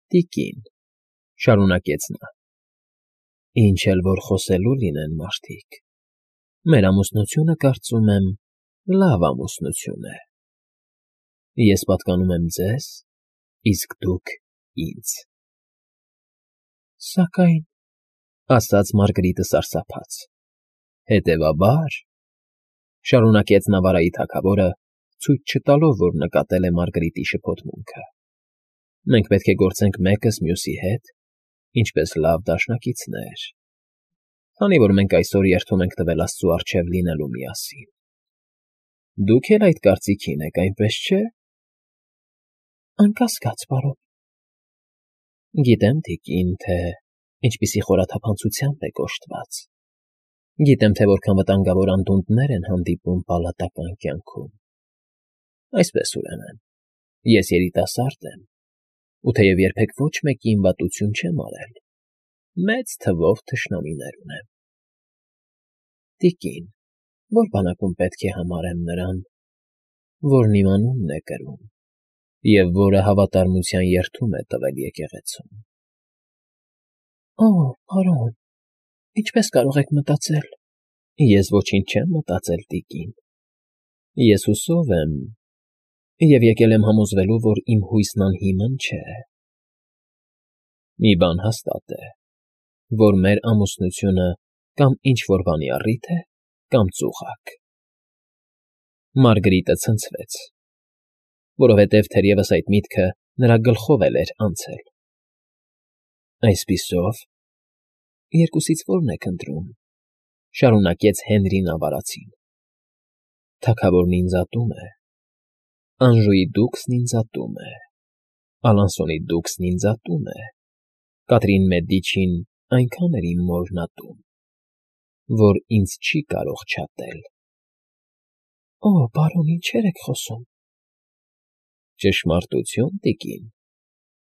Տիկին, շարունակեց նա, ինչ էլ որ խոսելու լինեն մարդիկ, մեր ամուսնությունը, կարծում եմ, լավ ամուսնություն է. ես պատկանում եմ ձեզ, իսկ դուք ինձ։ Սակայն, ասաց Մարգարիտը սարսափած, հետևաբար, շարունակեց Նավարայի թագավորը, ցույց չտալով, որ նկատել է Մարգարիտի շփոթմունքը, մենք պետք է գործենք մեկս մյուսի հետ, ինչպես լավ դաշնակիցներ, քանի որ մենք այսօր երդում ենք տվել Աստծու առջև լինելու միասին։ Դուք էլ այդ կարծիքին եք, այնպես չէ՞։ Անկասկած, պարոն։ Գիտեմ, տիկին, թե ինչպիսի խորաթափանցությամբ եք օժտված։ Գիտեմ, թե որքան վտանգավոր անդունդներ են հանդիպում պալատական կյանքում։ Այսպես, ուրեմն, ես երիտասարդ եմ, ու թեև երբեք ոչ մեկին վատություն չեմ արել, մեծ թվով թշնամիներ ունեմ։ Տիկին, որ բանակում պետք է համարեմ նրան, որն իմ անունն է կրում, և որը հավատարմության երդում է տվել եկեղեցուն։ Օ, պարոն, ինչպես կարող եք մտածել։ Ես ոչինչ չեմ մտածել, տիկին։ Ես հուսով եմ և եկել եմ համոզվելու, որ իմ հույսն անհիմն չէ։ Մի բան հաստատ է, որ մեր ամուսնությունը կամ ինչ-որ բանի առիթ է, կամ ծուղակ։ Մարգարիտը ցնցվեց, որովհետև թերևս այդ միտքը նրա գլխով էլ էր անցել։ Այսպիսով, երկուսից որն եք ընտրում, շարունակեց Հենրին ավարածին։ Թագավորն ինձ ատում է, Անժուի դուքսն ինձ ատում է, Ալանսոնի դուքսն ինձ ատում է, Կատրին Մեդիչին այնքան էր իմ մորն ատում, որ ինձ չի կարող չատել։ Օ, պարոն, ինչեր եք խոսում։ Ճշմարտություն, տիկին,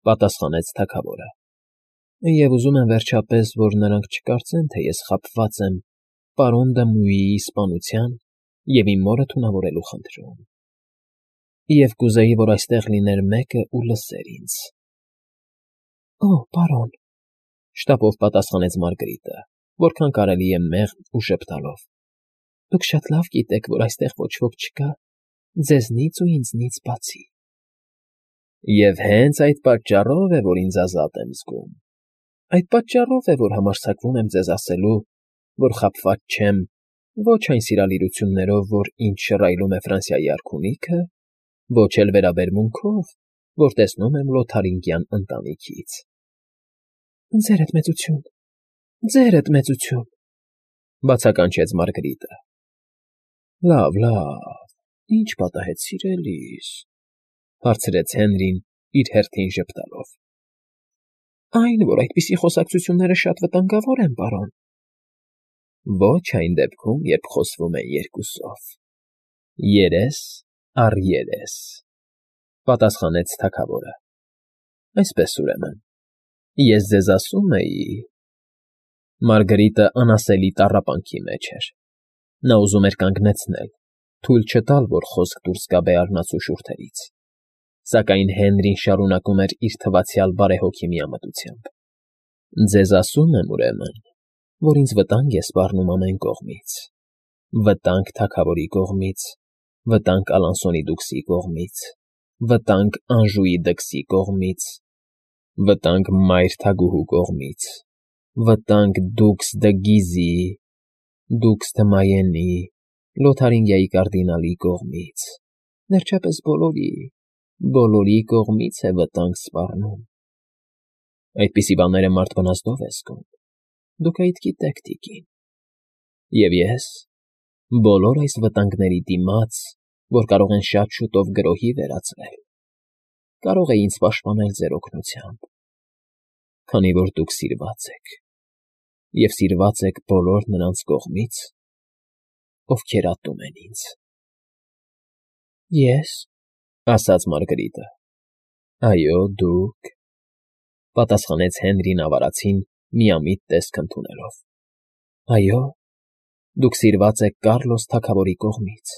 պատասխանեց թագավորը, և ուզում եմ վերջապես, որ նրանք չկարծեն, թե ես խաբված եմ պարոն Դմուիի սպանության և իմ մորը թունավորելու խնդրում։ Եվ կուզեի, որ այստեղ լիներ մեկը ու լսեր ինձ։ Օ, պարոն, շտապով պատասխանեց Մարգարիտը, որքան կարելի է մեղմ ու շփթալով։ Դուք շատ լավ գիտեք, որ այստեղ ոչ ոք չկա, ձեզնից ու ինձնից բացի։ Եվ հենց այդ պատճառով է, որ ինձ ազատ եմ զգում։ Այդ պատճառով է, որ համարձակվում եմ ձեզ ասելու, որ խաբված չեմ ոչ այն սիրալիրություններով, որ ինձ շռայլում է Ֆրանսիայի արքունիքը, ոչ էլ վերաբերմունքով, որ տեսնում եմ Լոթարինգյան ընտանիքից։ Ձերդ մեծություն, ձերդ մեծություն, բացականչեց Մարգարիտը։ Լավ, ինչ պատահեց սիրելիս, հարցրեց Հենրին իր հերթին ժպտալով։ Այն, որ այդպիսի խոսակցությունները շատ վտանգավոր են, պարոն։ Ոչ այն դեպքում, երբ խոսվում են երկուսով։ Երես առ երես, պատասխանեց թագավորը։ Այսպես, ուրեմն, ես ձեզ ասում էի… Մարգարիտը անասելի տառապանքի մեջ էր։ Նա ուզում էր կանգնեցնել, թույլ չտալ, որ խոսք դուրս գա բեառնացու շուրթերից, սակայն Հենրին շարունակում էր իր թվացյալ բարեհոգի միամտությամբ։ Ձեզ ասում եմ, ուրեմն, որ ինձ վտանգ է սպառնում ամեն կողմից. վտանգ թագավորի կողմից, վտանգ Ալանսոնի դուքսի կողմից, վտանգ Անժուի դքսի կողմից, վտանգ մայր թագուհու կողմից, վտանգ դուքս դը Գիզի, դուքս դը Մայենի, Լոթարինգիայի կարդինալի կողմից, վերջապես բոլորի կողմից է վտանգ սպառնում։ Այդպիսի բաները մարդ վնասելով է զգում, դուք այդ գիտեք, տիկին։ Եվ ես, բոլոր այս վտանգների դիմաց, որ կարող են շատ շուտով գրոհի վերածվել, կարող էի ինձ պաշտպանել ձեր օգնությամբ, քանի որ դուք սիրված եք, և սիրված եք բոլոր նրանց կողմից, ովքեր ատում են ինձ։ Ես, ասաց Մարգարիտը։ Այո, դուք, պատասխանեց Հենրին ավարածին միամիտ տեսք ընդունելով։ Այո, դուք սիրված եք Կառլոս թագավորի կողմից,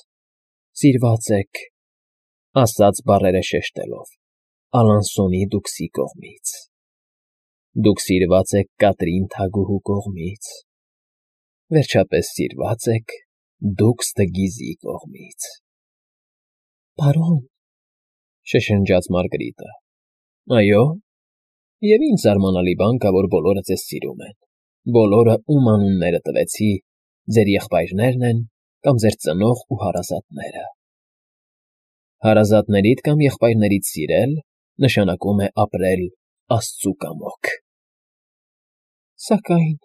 սիրված եք, ասաց բառերը շեշտելով, Ալանսոնի դուքսի կողմից։ Դուք սիրված եք Կատրին թագուհու կողմից։ Վերջապես սիրված եք Դուքս Դգիզի կողմից։ Պարոն, շշնջաց Մարգարիտը։ Այո, և ինչ զարմանալի բան կա, որ բոլորը ձեզ սիրում են, բոլորը, ում անունները տվեցի, ձեր եղբայրներն են կամ ձեր ծնող ու հարազատները։ Հարազատներիդ կամ եղբայրներիդ սիրել նշանակում է ապրել Աստծու կամոք։ Սակայն,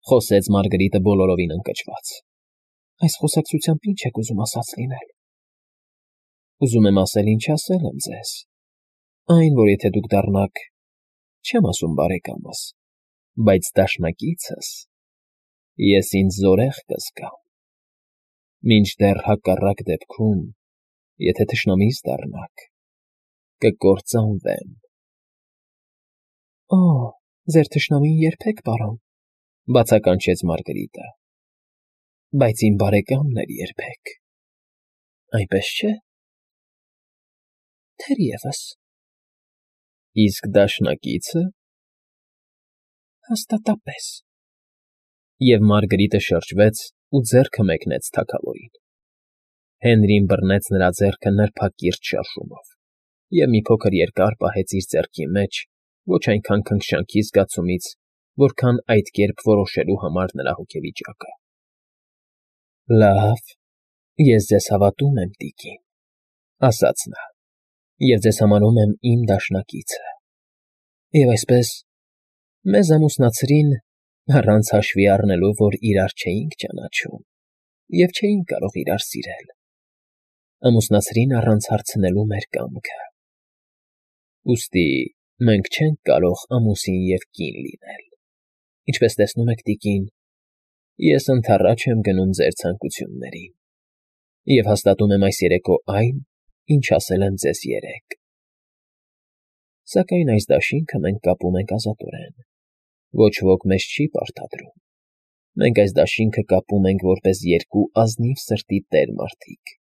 խոսեց Մարգարիտը բոլորովին ընկճված, այս խոսակցությամբ ինչ եք ուզում ասած լինել։ Ուզում եմ ասել, ինչ ասել եմ ձեզ, այն, որ եթե դուք դառնաք, չեմ ասում բարեկամս, բայց դաշնակիցս, ես ինձ զորեղ կզգամ, մինչդեռ հակառակ դեպքում, եթե թշնամիս դառնաք, կկործանվեմ։ Օ, ձեր թշնամին երբեք, պարոն, բացականչեց Մարգարիտը, բայց իմ բարեկամն էլ երբեք, այնպես չէ։ Թերևս։ Իսկ դաշնակիցը։ Հաստատապես։ Եվ Մարգարիտը շրջվեց ու ձեռքը մեկնեց թագավորին։ Հենրին բռնեց նրա ձեռքը նրբակիրճ շարժումով և մի փոքր երկար պահեց իր ձեռքի մեջ, ոչ այնքան քնքշանքի զգացումից, որքան այդ կերպ որոշելու համար նրա հոգեվիճակը։ Լավ, ես ձեզ հավատում եմ, տիկին, ասաց նա, և ձեզ համարում եմ իմ դաշնակիցը։ Եվ այսպես, մեզ ամուսնացրին առանց հաշվի առնելու, որ իրար չէինք ճանաչում և չէինք կարող իրար սիրել, ամուսնացրին առանց հարցնելու մեր կամքը։ Ուստի մենք չենք կարող ամուսին և կին լինել։ Ինչպես տեսնում եք, տիկին, ես ընդառաջ եմ գնում ձեր ցանկություններին և հաստատում եմ այս երեկո այն, ինչ ասել եմ ձեզ երեկ։ Սակայն այս դաշինքը մենք կապում ենք ազատորեն, ոչ ոք մեզ չի պարտադրում, մենք այս դաշինքը կապում ենք որպես երկու ազնիվ սրտի տեր մարդիկ,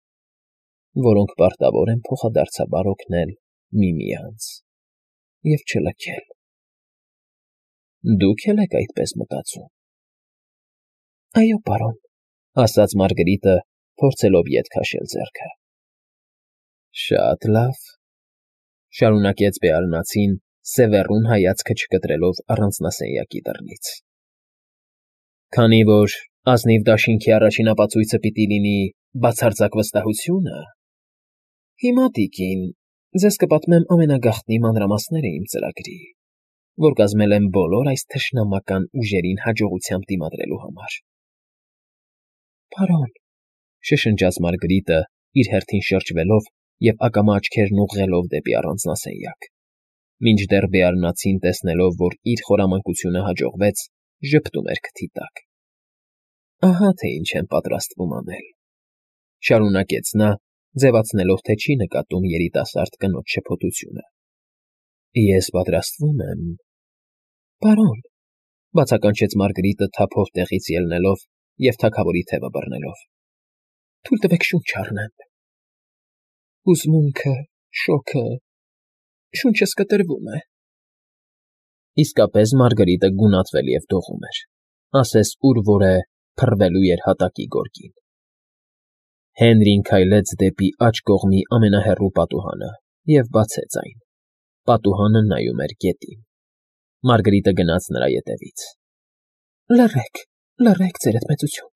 որոնք պարտավոր են փոխադարձաբար օգնել միմյանց և չլքել։ Դուք էլ եք այդպես մտածում։ Այո, պարոն, ասաց Մարգարիտը, փորձելով ետ քաշել ձեռքը։ Շատ լավ, շարունակեց Բեարնացին, սևեռուն հայացքը չկտրելով առանձնասենյակի դռնից։ Քանի որ ազնիվ դաշինքի առաջին ապացույցը պիտի լինի բացարձակ վստահությունը, հիմա, տիկին, ձեզ կպատմեմ ամենագաղտնի մանրամասները իմ ծրագրի, որ կազմել եմ բոլոր այս թշնամական ուժերին հաջողությամբ դիմադրելու համար։ Պարոն, շշնջաց Մարգարիտը, իր հերթին շրջվելով և ակամա աչքերն ուղղելով դեպի առանձնասենյակ, մինչդեռ Բեարնացին, տեսնելով, որ իր խորամանկությունը հաջողվեց, ժպտում էր քթի տակ։ Ահա թե ինչ եմ պատրաստվում անել, շարունակեց նա, ձևացնելով, թե չի նկատում երիտասարդ կնոջ շփոթությունը։ Ես պատրաստվում եմ։ Պարոն, բացականչեց Մարգարիտը թափով տեղից ելնելով և թագավորի թևը բռնելով։ Թույլ տվեք շունչ առնեմ։ Հուզմունքը, շոգը, շունչս կտրվում է։ Իսկապես Մարգարիտը գունատվել և դողում էր, ասես ուր որ է փռվելու էր հատակի գորգին։ Հենրին քայլեց դեպի աջ կողմի ամենահեռու պատուհանը և բացեց այն։ Պատուհանը նայում էր գետին։ Մարգարիտը գնաց նրա ետևից։ Լռեք, լռեք, ձերդ մեծություն,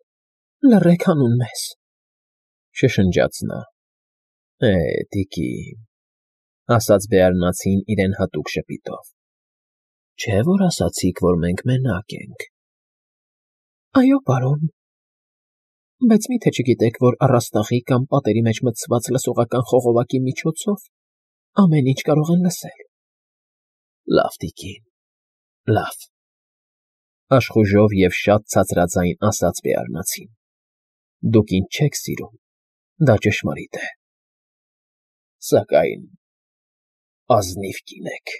լռեք հանուն մեզ, շշնջաց նա։ Տիկին, ասաց Բեարնացին իրեն հատուկ ժպիտով։ Չէ՞ որ ասացիք, որ մենք մենակ ենք։ Այո, պարոն, բայց մի՞թե չգիտեք, որ առաստաղի կամ պատերի մեջ մտցված լսողական խողովակի միջոցով ամեն ինչ կարող են լսել։ Լավ, տիկին, լավ, աշխուժով և շատ ցածրաձայն ասաց Բեարնացին։ Դուք ինձ չեք սիրում, դա ճշմարիտ է։ Սակայն ազնիվ կին եք։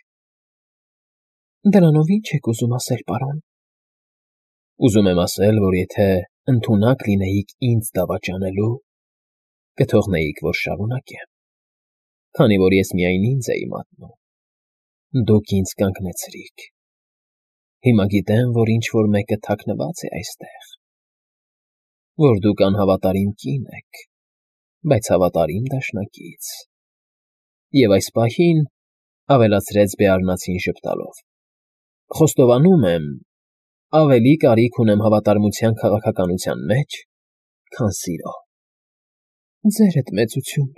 Դրանով ի՞նչ եք ուզում ասել, պարոն։ Ուզում եմ ասել, որ եթե ընդունակ լինեիք ինձ դավաճանելու, կթողնեիք, որ շարունակեմ։ քանի որ ես միայն ինձ էի մատնում։ Դուք ինձ կանգնեցրիք։ Հիմա գիտեմ, որ ինչ-որ մեկը թաքնված է այստեղ, որ դուք անհավատարիմ կին եք, բայց հավատարիմ դաշնակից։ Եվ այս պահին, ավելացրեց Բեարնացին ժպտալով, խոստովանում եմ, ավելի կարիք ունեմ հավատարմության քաղաքականության մեջ, քան սիրո։ Ձերդ մեծություն,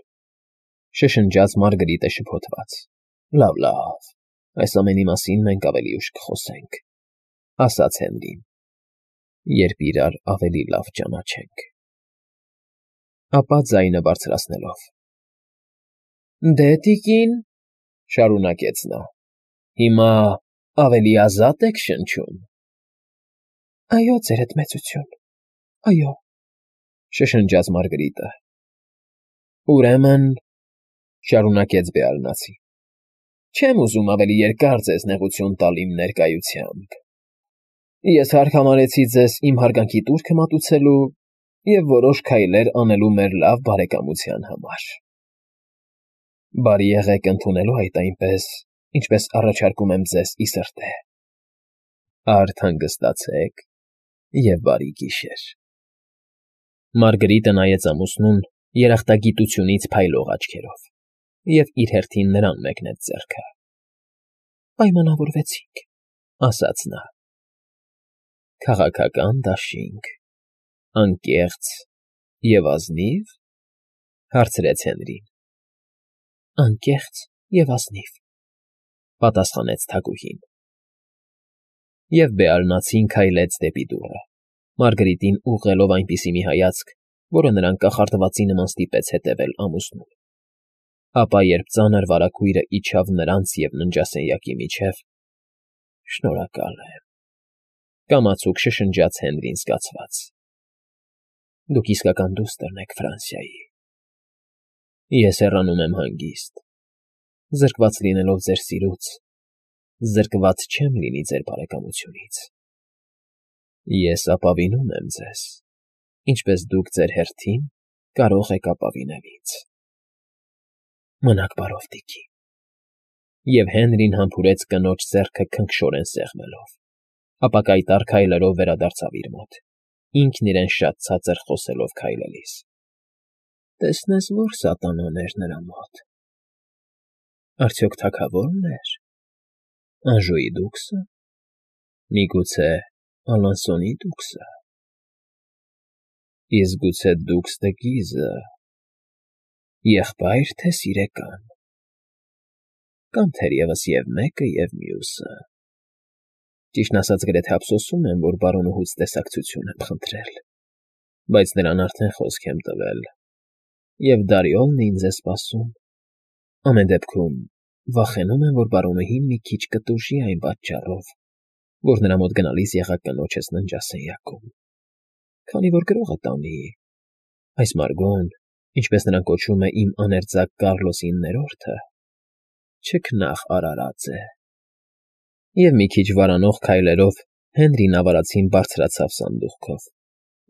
շշնջաց Մարգարիտը շփոթված։ Լավ, այս ամենի մասին մենք ավելի ուշ կխոսենք, ասաց Հենրին, երբ իրար ավելի լավ ճանաչենք։ Ապա ձայնը բարձրացնելով. Դե, տիկին, շարունակեց նա, հիմա ավելի ազատ եք շնչում։ Այո, ձերդ մեծություն, այո, շշնջաց Մարգարիտը։ Ուրեմն, շարունակեց Բեարնացի, չեմ ուզում ավելի երկար ձեզ նեղություն տալ իմ ներկայությամբ։ Ես հարկ համարեցի ձեզ իմ հարգանքի տուրքը մատուցելու և որոշ քայլեր անելու մեր լավ բարեկամության համար։ Բարի եղեք ընդունելու այդ այնպես, ինչպես առաջարկում եմ ձեզ ի սրտե։ Արդ հանգստացեք և բարի գիշեր։ Մարգարիտը նայեց ամուսնուն երախտագիտությունից փայլող աչքերով և իր հերթին նրան մեկնեց ձեռքը։ Պայմանավորվեցինք, ասաց նա։ Քաղաքական դաշինք, անկեղծ և ազնի՞վ, հարցրեց Հենրին։ Անկեղծ և ազնիվ, պատասխանեց թագուհին։ Եվ Բեարնացին քայլեց դեպի դուռը, Մարգարիտին ուղղելով այնպիսի մի հայացք, որը նրան կախարդվածի նման ստիպեց հետևել ամուսնուն։ Ապա երբ ծանր վարագույրը իջավ նրանց և ննջասենյակի միջև. Շնորհակալ եմ, կամացուկ շշնջաց Հենրին զգացված։ Դուք իսկական դուստր եք Ֆրանսիայի։ Ես հեռանում եմ հանգիստ, զրկված լինելով ձեր սիրուց, զրկված չեմ լինի ձեր բարեկամությունից։ Ես ապավինում եմ ձեզ, ինչպես դուք ձեր հերթին կարող եք ապավինել ինձ։ Մնաք բարով, տիկին։ Եվ Հենրին համբուրեց կնոջ ձեռքը քնքշորեն սեղմելով, ապա կայտառ քայլերով վերադարձավ իր մոտ, ինքն իրեն շատ ցածր խոսելով քայլելիս։ Տեսնես, որ սատանան էր նրա մոտ։ Արդյոք թագավորն էր, Անժուի դուքսը, միգուցե Ալանսոնի դուքսը։ Իսկ գուցե դուքս դը Գիզը, եղբայր թե սիրեկան, կամ թերևս և մեկը, և մյուսը։ Ճիշտն ասած, գրեթե ափսոսում եմ, որ բարոնուհուց տեսակցություն եմ խնդրել, բայց նրան արդեն խոսք եմ տվել, և Դարիոլն է ինձ է սպասում։ Ամեն դեպքում, վախենում եմ, որ բարոնուհին մի քիչ կտուժի այն պատճառով, որ նրա մոտ գնալիս եղա կնոջս ննջասենյակում, քանի որ գրողը տանի, այս Մարգոն, ինչպես նրան կոչում է իմ աներձակ Կառլոսի 9-րդը, չքնաղ արարած է։ Եվ մի քիչ վարանող քայլերով Հենրին ավարածին բարձրացավ սանդուղքով,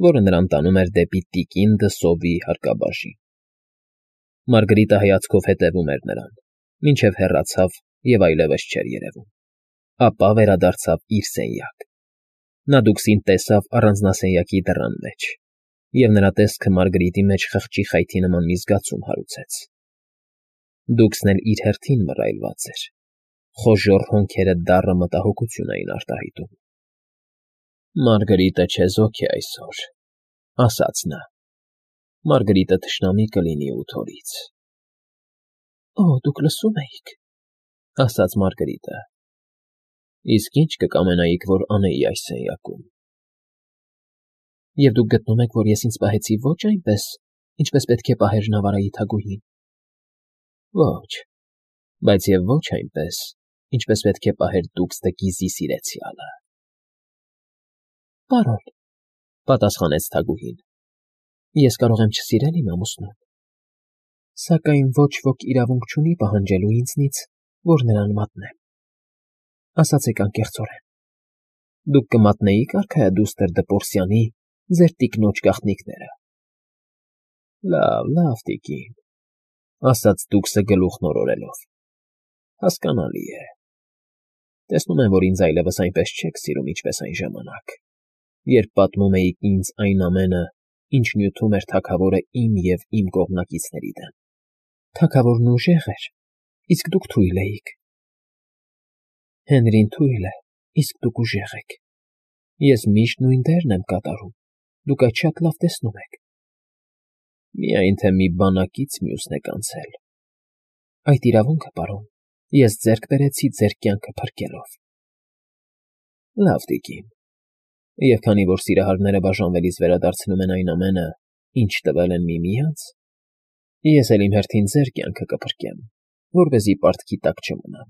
որը նրան տանում էր դեպի տիկին Դսովի հարկաբաժին։ Մարգարիտը հայացքով հետևում էր նրան, մինչև հեռացավ և այլևս չէր երևում։ Ապա վերադարձավ իր սենյակ։ Նա դուքսին տեսավ առանձնասենյակի դռան մեջ, և նրա տեսքը Մարգարիտի մեջ խղճի խայթի նման մի զգացում հարուցեց։ Դուքսն էլ իր հերթին մռայլված էր, խոժոռ հոնքերը դառը մտահոգություն էին արտահայտում։ Մարգարիտը չեզոք է այսօր, ասաց նա։ Մարգարիտը թշնամի կլինի ութորից։ Դուք լսում էիք, ասաց Մարգարիտը։ Իսկ ինչ կկամենայիք, որ անեի այս սենյակում։ Եվ դուք գտնում եք, որ ես ինձ պահեցի ոչ այնպես, ինչպես պետք է պահեր Նավարայի թագուհին։ Ոչ, բայց և ոչ այնպես, ինչպես պետք է պահեր դուքս դը Գիզի սիրեցյալը։ Պարոն, պատասխանեց թագուհին, ես կարող եմ չսիրել իմ ամուսնուն, սակայն ոչ ոք իրավունք չունի պահանջելու ինձնից, որ նրան մատնեմ։ Ասացեք անկեղծորեն, դուք կմատնեիք արքայադուստր Դպորսյանի ձեր տիկնոջ գաղտնիքները։ Լավ, տիկին, ասաց Դուքսը գլուխն օրորելով։ Հասկանալի է։ Տեսնում եմ, որ ինձ այլևս այնպես չեք սիրում, ինչպես այն ժամանակ, երբ պատմում էիք ինձ այն ամենը, ինչ նյութում էր թագավորը իմ և իմ կողմնակիցների դեմ։ Թագավորն ուժեղ էր, իսկ դուք թույլ էիք։ Հենրին թույլ է, իսկ դուք ուժեղ եք։ Ես միշտ նույն դերն եմ կատարում, դուք այդ շատ լավ տեսնում եք։ Միայն թե մի բանակից մյուսն եք անցել։ Այդ իրավունքը, պարոն, ես ձեռք բերեցի ձեր կյանքը փրկելով։ Լավ, տիկին։ Եվ քանի որ սիրահարները բաժանվելիս վերադարձնում են այն ամենը, ինչ տվել են միմյանց, ես էլ իմ հերթին ձեր կյանքը կփրկեմ, որպեսզի պարտքի տակ չմնան։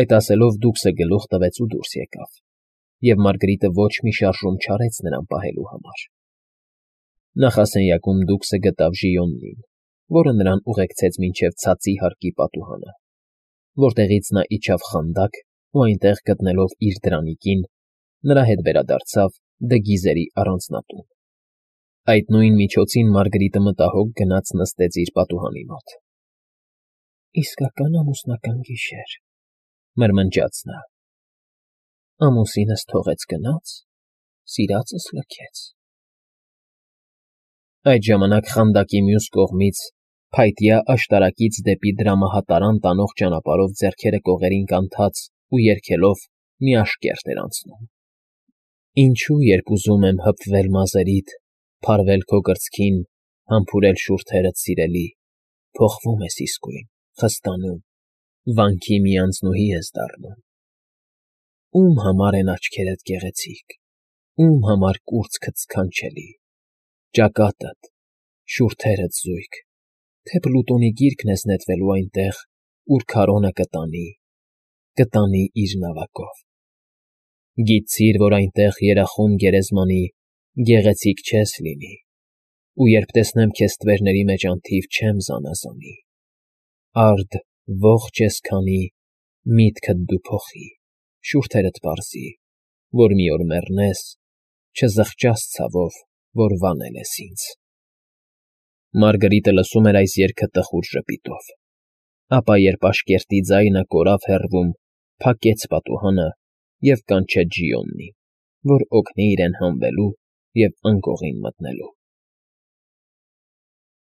Այդ ասելով Դուքսը գլուխ տվեց ու դուրս եկավ, և Մարգարիտը ոչ մի շարժում չարեց նրան պահելու համար։ Նախասենյակում Դուքսը գտավ Ժիոնին, որը նրան ուղեկցեց մինչև ցածի հարկի պատուհանը, որտեղից նա իջավ խանդակ ու այնտեղ գտնելով իր դրանիկին, նրա հետ վերադարձավ Դգիզերի առանձնատուն։ Այդ նույն միջոցին Մարգարիտը մտահոգ գնաց նստեց իր պատուհանի մոտ։ Իսկական ամուսնական գիշեր, մրմնջաց նա։ Ամուսինս թողեց գնաց, սիրածս լքեց։ Այդ ժամանակ խանդակի մյուս կողմից, փայտյա աշտարակից դեպի դրամահատարան տանող ճանապարհով ձեռքերը կողերին կանթած ու երգելով մի աշկերտ էր անցնում։ Ինչու, երբ ուզում եմ հպվել մազերիդ, փարվել քո կրծքին, համբուրել շուրթերդ սիրելի, փոխվում ես իսկույն, խստանում, վանքի մի անձնուհի ես դառնում։ Ում համար են աչքերդ գեղեցիկ, ում համար կուրծքդ սքանչելի, ճակատդ, շուրթերդ զույգ, թե Պլուտոնի գիրկն ես նետվելու այնտեղ, ուր քարոնը կտանի իր նավակով։ Գիտցիր, որ այնտեղ երախում գերեզմանի գեղեցիկ չես լինի, ու երբ տեսնեմ քեզ ստվերների մեջ անթիվ չեմ զանազանի, արդ ողջ ես քանի, միտքդ դու փոխի, շուրթերդ պարզի, որ մի օր մեռնես, չզղջաս ցավով, որ վանել ես ինձ։ Մարգարիտը լսում էր այս երգը տխուր ժպիտով, ապա երբ աշկերտի ձայնը կորավ հեռվում, փակեց պատուհանը և կանչեց Ժիոնին, որ օգնի իրեն հանվելու և անկողին մտնելու։